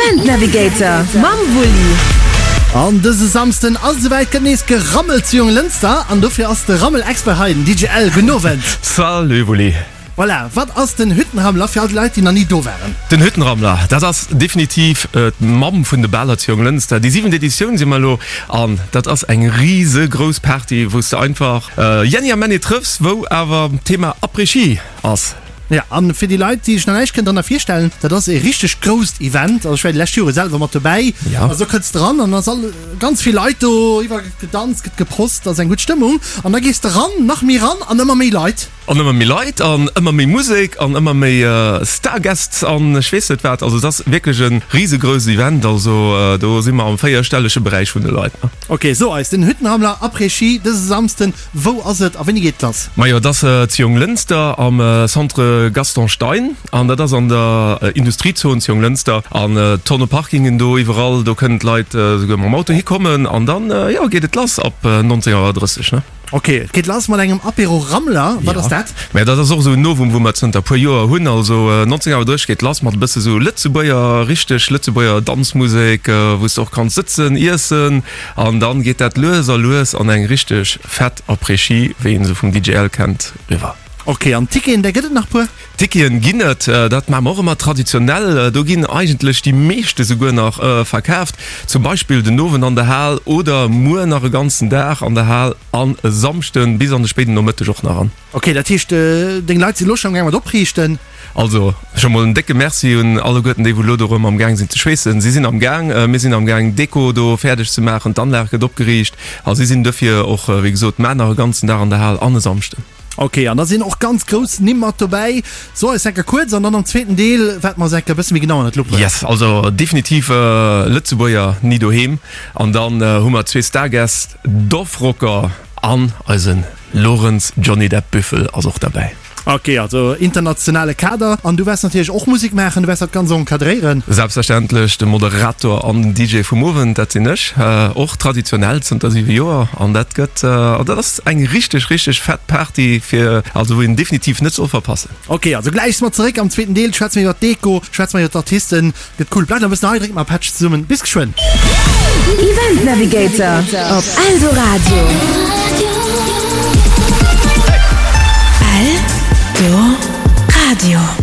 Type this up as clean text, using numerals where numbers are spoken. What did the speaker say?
Event Navigator mam Wulli. An dëse Samsden ass et esouwäit, gëtt nees gerammelt zu Jonglënster an dofir ass de Rammel-Expert hei, den DJ Ell. Gudden Owend. Salut Wulli. Voilà, wat ass den Hüttenrammler fir all déi Leit, déi nach ni do waren? Den Hüttenrammler, dat ass definitiv d'Mamm vun de Baler zu Jonglënster. Déi siwent Editioun si mer elo an dat ass eng risegrouss Party, wou s de einfach Jenni a Männi trëffs, wou awer d'Thema Après-Ski ass. Jo, an fir déi Leit, déi sech nach näischt kënnen drënner virstellen, dat ass e richteg grousst Event. Also ech war déi lescht Jore selwer mat dobäi. Also do kënns de ran an ass all ganz vill Leit do, iwwerall gëtt gedanzt, gëtt geprost, ass eng gutt Stëmmung. An da gees de ran, nach méi ran an ëmmer méi Leit. An ëmmer méi Leit an ëmmer méi Musek an ëmmer méi Starguests an ech weess net wat. Also et ass wierklech e risegrouss Event. Also do si mer am véierstellege Beräich vun de Leit. Ok, so eis den Hüttenrammler Après-Ski dëse Samsden, wou ass et a wéini geet et lass? Majo, et ass zu Jonglënster am Centre Gaston Stein an dat ass an der Industriezon zu Jonglënster. An Tonne Parkingen do iwwerall, do kënnen d'Leit esouguer mam Auto hikommen an dann, jo, geet et lass ab 19 Auer 30, ne? Ok, et geet lass mat engem Apéro Rammler. Wat ass dat? Mä dat ass och esou en Novum, wou mer zënter puer Joer hunn. Also 19 Auer 30 geet lass mat e bësse sou Lëtzebuerger, richteg Lëtzebuerger Danzmusek, wou s de och kanns sëtzen, iessen an dann geet dat lues a lues an eng richteg fett Après-Ski, wéi een se vum DJ L kennt, riwwer. Ok, an Ticketen, där gëtt et nach puer? Ticketen ginn et, dat maache mer och ëmmer traditionell. Do ginn eigentlech déi meeschte souguer nach verkaaft. Zum Beispill den Owend an der Hal oder muer nach e ganzen Dag an der Hal an e Samschden bis an de spéiden Nomëtteg och nach an. Ok, dat heescht deng Leit sinn elo scho am gaang mat opriichten? Also scho mol en décke Merci un alleguerten déi wou elo dorëm am gaang sinn ze schweessen. Si sinn am gaang, mir sinn am gaang Deko do fäerdeg ze maachen, d'Anlag gëtt opgeriicht a si sinn dofir och wéi gesot mar nach e ganzen Dag an der Hal an e Samschden. Ok, an da sinn och ganz grouss Nimm mat dobäi. So eis enker kuerz an dann am zweeten Deel waart mer eis enker e bësse méi genau ënnert d'Lupp huelen. Yes, also definitiv Lëtzebuerger ni doheem. An dann hu mer zwee Starguests, Dorfrocker an eise Lorenz Johnny Depp Büffel ass och derbäi. Ok, also internationale Kader. An du waers natierlech och Musek maachen, du waers dat Ganzt encadréieren. Selbstverständlech, de Moderator an den DJ vum Owend, dat sinn ech. Och traditionell zënter 7 Joer. An dat gëtt, an dat ass eng richteg, richteg fett Party fir, also wou een definitiv net soll verpassen. Ok, also gläich si mer zeréck am zweeten Deel, schwätze mer iwwer d'Deko, schwätze mer iwwer d'Artisten. Gëtt cool. Bleift nach e bëssen hei, dréckt mar Patch zesummen. Bis geschwënn. Event Navigator op Eldoradio. Eldoradio.